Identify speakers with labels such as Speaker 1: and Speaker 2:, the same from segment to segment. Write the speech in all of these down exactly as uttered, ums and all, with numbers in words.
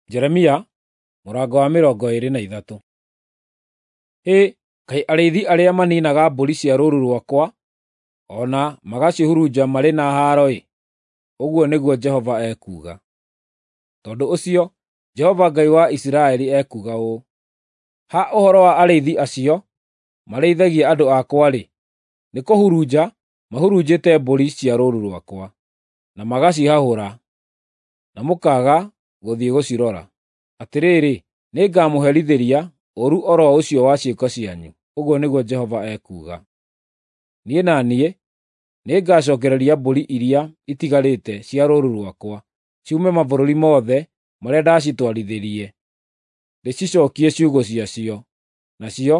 Speaker 1: Jeremia mũrango wa mĩrongo ĩĩrĩ na ithatũ. Hĩ, kaĩ arĩithi arĩa maniinaga mbũri cia rũũru rwakwa o na magacihurunja marĩ na haaro-ĩ! Ũguo nĩguo Jehova ekuuga. Tondũ ũcio Jehova Ngai wa Isiraeli ekuuga ũũ: Ha ũhoro wa arĩithi acio marĩithagia andũ akwa-rĩ, nĩkũhurunja mahurunjĩte mbũri cia rũũru rwakwa, na magacihahũra, na mũkaaga gũthiĩ gũcirora. Atĩrĩrĩ, nĩngamũherithĩria ũũru o ro ũcio wa ciĩko cianyu, ũguo nĩguo Jehova ekuuga. Niĩ na niĩ nĩngacookereria mbũri iria itigarĩte cia rũũru rwakwa ciume mabũrũri mothe marĩa ndacitwarithirie, ndĩcicookie ciugũ ciacio, nacio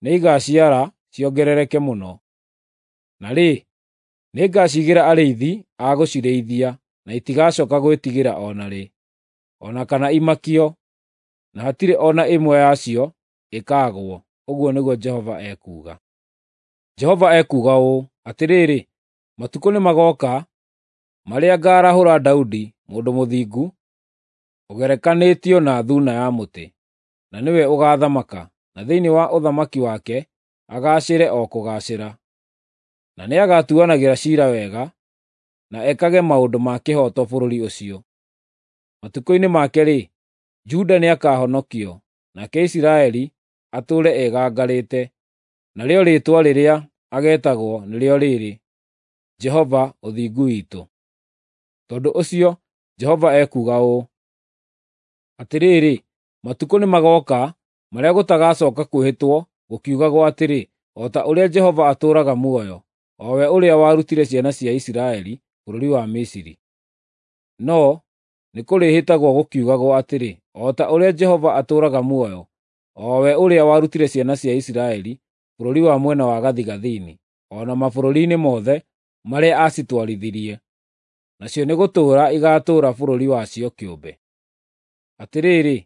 Speaker 1: nĩigaciara ciongerereke mũno. Na rĩ, nĩngaciigĩra arĩithi a gũcirĩithia, na itigacooka gwĩtigĩra o na rĩ, o na kana imakio, na hatirĩ o na ĩmwe yacio ĩkaagwo, ũguo nĩguo Jehova ekuuga. Jehova ekuuga ũũ: Atĩrĩrĩ, matukũ nĩmagooka marĩa ngaarahũra Daudi mũndũ mũthingu ũgerekanĩtio na thuuna ya mũtĩ, na nĩwe ũgaathamaka, na thĩinĩ wa ũthamaki wake agaacĩre o kũgaacĩra. Na nĩagatuanagĩra ciira wega, na ekage maũndũ ma kĩhooto bũrũri ũcio. Matukũ-inĩ make-rĩ, Juda nĩakahonokio, nake Isiraeli atũũre egangarĩte. Narĩo rĩĩtwa rĩrĩa ageetagwo nĩrĩo rĩĩrĩ, Jehova Ũthingu Witũ. Tondũ ũcio Jehova ekuuga ũũ: Atĩrĩrĩ, matukũ nĩmagooka marĩa gũtagacooka kwĩhĩtwo gũkiugagwo atĩrĩ, ‘O ta ũrĩa Jehova atũũraga muoyo, o we ũrĩa warutire ciana cia Isiraeli bũrũri wa Misiri.’ No nĩkũrĩhĩtagwo gũkiugagwo atĩrĩ, ‘O ta ũrĩa Jehova atũũraga muoyo, o we ũrĩa warutire ciana cia Isiraeli bũrũri wa mwena wa gathigathini, o na mabũrũri-inĩ mothe marĩa aacitwarithirie.’ Nacio nĩgũtũũra igaatũũra bũrũri wacio kĩũmbe. Atĩrĩrĩ,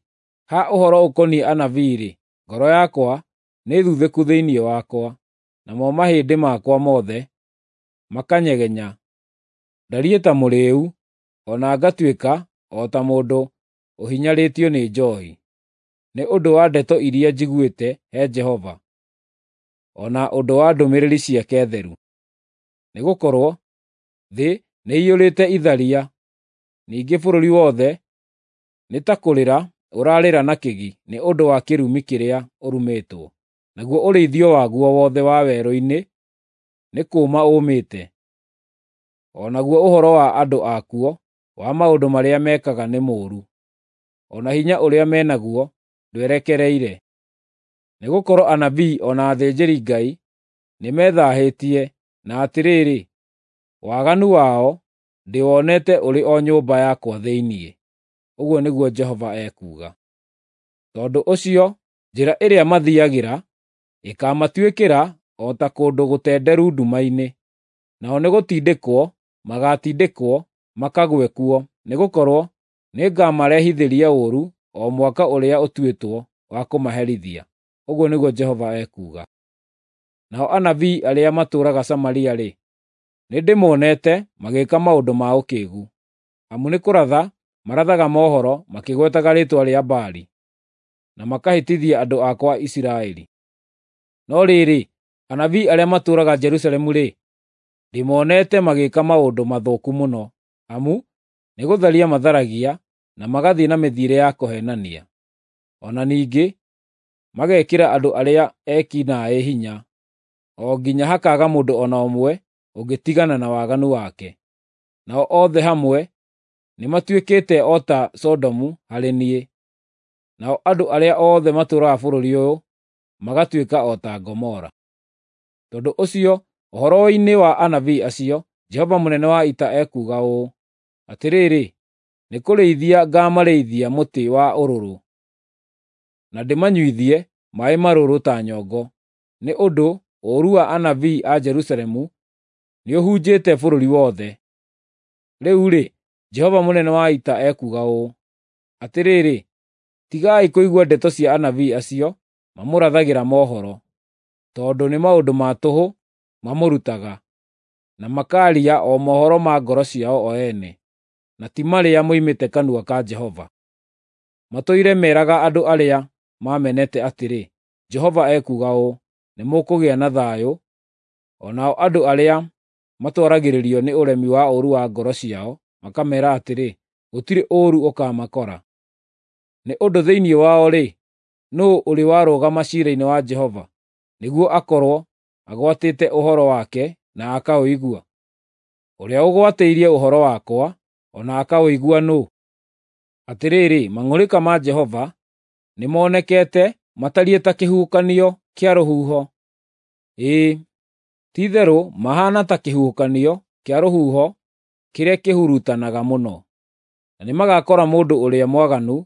Speaker 1: ha ũhoro ũkoniĩ anabii-rĩ, ngoro yakwa nĩthuthĩku thĩinĩ wakwa, namo mahĩndĩ makwa mothe makanyegenya. Ndariĩ ta mũrĩĩu, o na ngatuĩka o ta mũndũ ũhinyarĩtio nĩ njoohi, nĩ ũndũ wa ndeto iria njiguĩte he Jehova, o na ũndũ wa ndũmĩrĩri ciake theru. Nĩgũkorwo thĩ nĩĩiyũrĩte itharia, ningĩ bũrũri wothe nĩ ta kũrĩra ũrarĩra na kĩgi nĩ ũndũ wa kĩrumi kĩrĩa ũrumĩtwo, naguo ũrĩithio waguo wothe wa werũ-inĩ nĩ kũũma ũmĩte, o naguo ũhoro wa andũ akuo wa maũndũ marĩa mekaga nĩ mũũru, o na hinya ũrĩa me naguo ndwerekereire. Nĩgũkorwo anabii o na athĩnjĩri-Ngai nĩmethaahĩtie, na atĩrĩrĩ, waganu wao ndĩwonete ũrĩ o nyũmba yakwa thĩinĩ, ũguo nĩguo Jehova ekuuga. Tondũ ũcio njĩra ĩrĩa mathiiagĩra ĩkaamatuĩkĩra o ta kũndũ gũtenderu nduma-inĩ, nao nĩgũtindĩkwo magaatindĩkwo makagwe kuo, nĩgũkorwo nĩngamarehithĩria ũũru o mwaka ũrĩa ũtuĩtwo wa kũmaherithia, ũguo nĩguo Jehova ekuuga. Nao anabii arĩa matũũraga Samaria-rĩ, nĩndĩmonete magĩĩka maũndũ ma ũkĩĩgu, amu nĩkũratha marathaga mohoro makĩgwetaga rĩĩtwa rĩa Baali, na makahĩtithia andũ akwa Isiraeli. No rĩrĩ, anabii arĩa matũũraga Jerusalemu-rĩ, ndĩmonete magĩĩka maũndũ mathũku mũno, amu nĩgũtharia matharagia na magathiĩ na mĩthiĩre ya kũheenania. O na ningĩ magekĩra andũ arĩa eki naaĩ hinya, o nginya hakaaga mũndũ o na ũmwe ũngĩtigana na waganu wake. Nao othe hamwe nĩmatuĩkĩte o ta Sodomu harĩ niĩ, nao andũ arĩa othe matũũraga bũrũri ũyũ magatuĩka o ta Gomora. Tondũ ũcio ũhoro-inĩ wa anabii acio, Jehova mũnene wa ita ekuuga ũũ: Atĩrĩrĩ, nĩkũrĩithia ngaamarĩithia mũtĩ wa ũrũrũ, na ndĩmanyuithie maaĩ marũrũ ta nyongo, nĩ ũndũ ũũru wa anabii a Jerusalemu nĩũhunjĩte bũrũri wothe. Rĩu-rĩ, Jehova mũnene wa ita ekuuga ũũ: Atĩrĩrĩ, tigai kũigua ndeto cia anabii acio mamũrathagĩra mohoro, tondũ nĩ maũndũ ma tũhũ mamũrutaga, na makaaria o mohoro ma ngoro ciao o ene, na ti marĩa moimĩte kanua ka Jehova. Matũire meraga andũ arĩa mamenete atĩrĩ, 'Jehova ekuuga ũũ: Nĩmũkũgĩa na thayũ.' O nao andũ arĩa matwaragĩrĩrio nĩ ũremi wa ũũru wa ngoro ciao makameera atĩrĩ, 'Gũtirĩ ũũru ũkaamakora.' Nĩ ũndũ thĩinĩ wao-rĩ, nũũ ũrĩ warũgama ciira-inĩ wa Jehova, nĩguo akorwo agwatĩte ũhoro wake na akaũigua? Ũrĩa ũgwatĩirie ũhoro wakwa, o na akaũigua nũũ? Atĩrĩrĩ, mang'ũrĩka ma Jehova nĩmonekete matariĩ ta kĩhuhũkanio kĩa rũhuho; ĩĩ, ti-itherũ mahaana ta kĩhuhũkanio kĩa rũhuho kĩrĩa kĩhurutanaga mũno, na nĩmagakora mũndũ ũrĩa mwaganu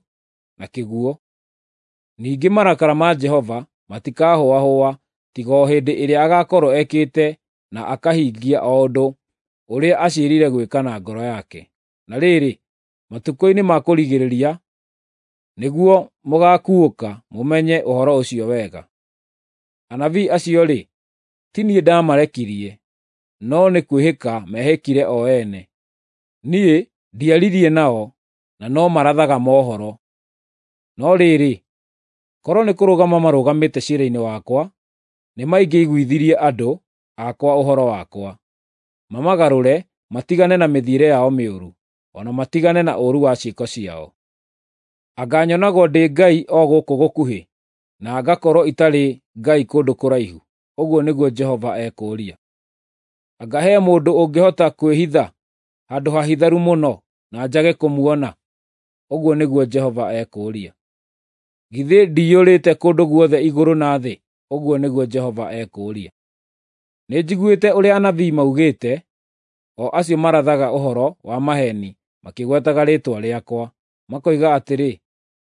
Speaker 1: na kĩguũ. Ningĩ marakara ma Jehova matikahũahũa tiga o hĩndĩ ĩrĩa agaakorwo ekĩte na akahingia o ũndũ ũrĩa aciirĩire gwĩka na ngoro yake. Na rĩrĩ, matukũ-inĩ ma kũrigĩrĩria nĩguo mũgaakuũka mũmenye ũhoro ũcio wega. Anabii acio-rĩ, ti niĩ ndaamarekirie, no nĩ kwĩhĩka mehĩkire o ene. Niĩ ndiaririe nao, na no marathaga mohoro. No rĩrĩ, korwo nĩ kũrũgama marũgamĩte ciira-inĩ wakwa, nĩmaingĩiguithirie andũ akwa ũhoro wakwa, mamagarũre matigane na mĩthiĩre yao mĩũru, o na matigane na ũũru wa ciĩko ciao. Anga nyonagwo ndĩ Ngai o gũkũ gũkuhĩ, na ngakorwo itarĩ Ngai kũndũ kũraihu?” Ũguo nĩguo Jehova ekũũria. “Anga he mũndũ ũngĩhota kwĩhitha handũ hahitharu mũno na njage kũmuona?” Ũguo nĩguo Jehova ekũũria. “Githĩ ndiyũrĩte kũndũ guothe igũrũ na thĩ?” Ũguo nĩguo Jehova ekũũria. Nĩnjiguĩte ũrĩa anabii maugĩte, o acio marathaga ũhoro wa maheeni makĩgwetaga rĩĩtwa rĩakwa, makoiga atĩrĩ,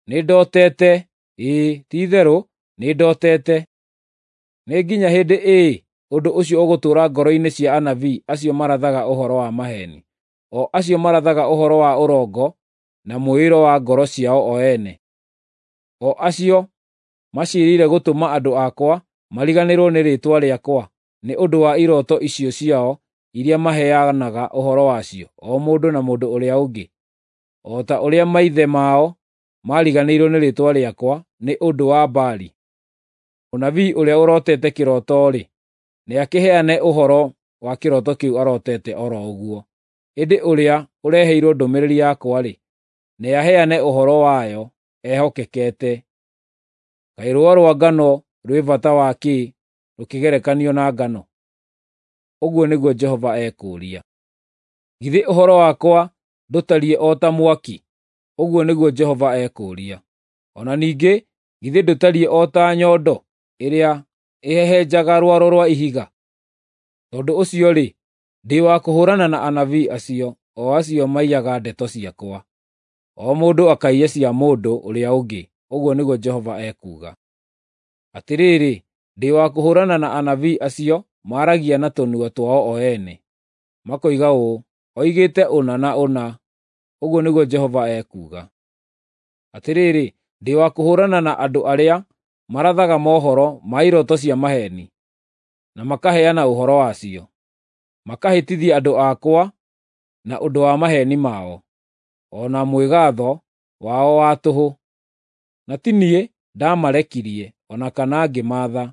Speaker 1: “Nĩndotete! Ĩĩ, ti-itherũ nĩndotete!” Nĩ nginya hĩndĩ ĩĩ ũndũ ũcio ũgũtũũra ngoro-inĩ cia anabii acio marathaga ũhoro wa maheeni, o acio marathaga ũhoro wa ũrongo na mwĩĩro wa ngoro ciao o ene, o acio maciirĩire gũtũma andũ akwa mariganĩrwo nĩ rĩĩtwa rĩakwa nĩ ũndũ wa irooto icio ciao iria maheanaga ũhoro wacio, o mũndũ na mũndũ ũrĩa ũngĩ, o ta ũrĩa maithe mao maariganĩirwo nĩ rĩĩtwa rĩakwa nĩ ũndũ wa Baali. Mũnabii ũrĩa ũrotete kĩroto-rĩ, nĩakĩheane ũhoro wa kĩroto kĩu arotete o ro ũguo, ĩndĩ ũrĩa ũreheirwo ndũmĩrĩri yakwa-rĩ, nĩaheane ũhoro wayo ehokekete. Kaĩ rũũa rwa ngano rwĩ bata wa kĩ rũkĩgerekanio na ngano? Ũguo nĩguo Jehova ekũũria. Githĩ ũhoro wakwa ndũtariĩ o ta mwaki? Ũguo nĩguo Jehova ekũũria. O na ningĩ githĩ ndũtariĩ o ta nyondo ĩrĩa ĩhehenjaga rwaro rwa ihiga? Tondũ ũcio-rĩ, ndĩ wa kũhũũrana na anabii acio, o acio maiyaga ndeto ciakwa, o mũndũ akaiya cia mũndũ ũrĩa ũngĩ, ũguo nĩguo Jehova ekuuga. Atĩrĩrĩ, ndĩ wa kũhũũrana na anabii acio maaragia na tũnua twao o ene, makoiga ũũ, “Oigĩte ũna na ũna,” ũguo nĩguo Jehova ekuuga. Atĩrĩrĩ, ndĩ wa kũhũũrana na andũ arĩa marathaga mohoro ma irooto cia maheeni, na makaheana ũhoro wacio, makahĩtithia andũ akwa na ũndũ wa maheeni mao, o na mwĩgaatho wao wa tũhũ. Na ti niĩ ndaamarekirie o na kana ngĩmaatha;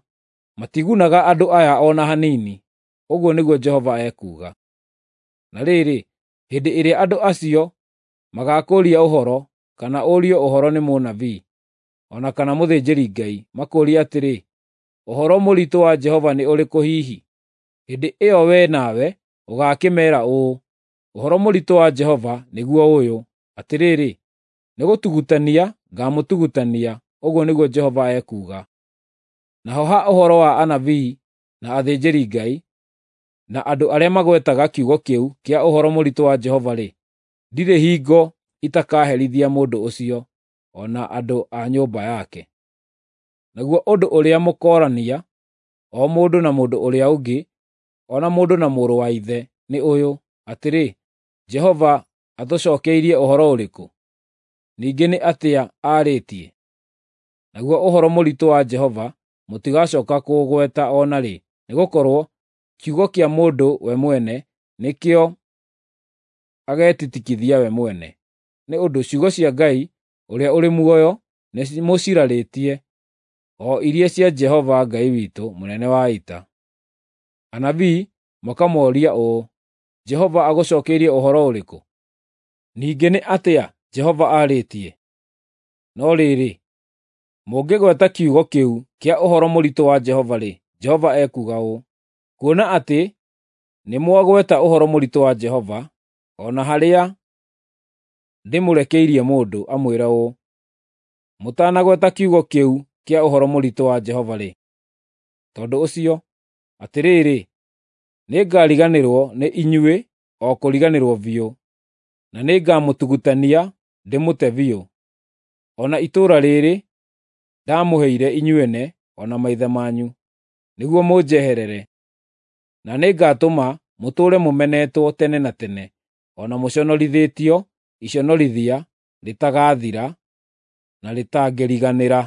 Speaker 1: matigunaga andũ aya o na hanini, ũguo nĩguo Jehova ekuuga. Na rĩrĩ, hĩndĩ ĩrĩa andũ acio magaakũũria ũhoro, kana ũrio ũhoro nĩ mũnabii, o na kana mũthĩnjĩri-Ngai, makũũrie atĩrĩ, “Ũhoro mũritũ wa Jehova nĩ ũrĩkũ hihi?” Hĩndĩ ĩyo wee nawe ũgaakĩmeera ũũ, “Ũhoro mũritũ wa Jehova nĩguo ũyũ: Atĩrĩrĩ, nĩgũtugutania ngaamũtugutania,” ũguo nĩguo Jehova ekuuga. Naho ha ũhoro wa anabii na athĩnjĩri-Ngai, na andũ arĩa magwetaga kiugo kĩu kĩa ũhoro mũritũ wa Jehova-rĩ, ndirĩ hingo itakaherithia mũndũ ũcio, o na andũ a nyũmba yake. Naguo ũndũ ũrĩa mũkoorania, o mũndũ na mũndũ ũrĩa ũngĩ, o na mũndũ na mũrũ wa ithe, nĩ ũyũ, atĩrĩ, “Jehova atũcookeirie ũhoro ũrĩkũ? Ningĩ nĩ atĩa aarĩtie?” Naguo ũhoro mũritũ wa Jehova mũtigacooka kũũgweta o na rĩ, nĩgũkorwo kiugo kĩa mũndũ we mwene nĩkĩo agetitikithia we mwene, nĩ ũndũ ciugo cia Ngai ũrĩa ũrĩ muoyo nĩmũcirarĩtie, o iria cia Jehova Ngai witũ mũnene wa ita. Anabii makamoria ũũ, Jehova agũcookeirie ũhoro ũrĩkũ? Ningĩ nĩ atĩa Jehova aarĩtie? No rĩrĩ, mũngĩgweta kiugo kĩu kĩa ũhoro mũritũ wa Jehova-rĩ, Jehova ekuuga ũũ: Kuona atĩ nĩmwagweta ũhoro mũritũ wa Jehova, o na harĩa ndĩmũrekeirie mũndũ amwĩre ũũ, “Mũtanagweta kiugo kĩu kĩa ũhoro mũritũ wa Jehova-rĩ, tondũ ũcio, atĩrĩrĩ, nĩngariganĩrwo nĩ inyuĩ o kũriganĩrwo biũ, na nĩngamũtugutania ndĩmũte biũ. O na itũũra rĩĩrĩ ndamũheire inyuene o na maithe manyu, nĩguo mũnjeherere, na nĩngatũma mũtũũre mũmenetwo tene na tene, o na mũconorithĩtio iconorithia rĩtagathira na rĩtangĩriganĩra.”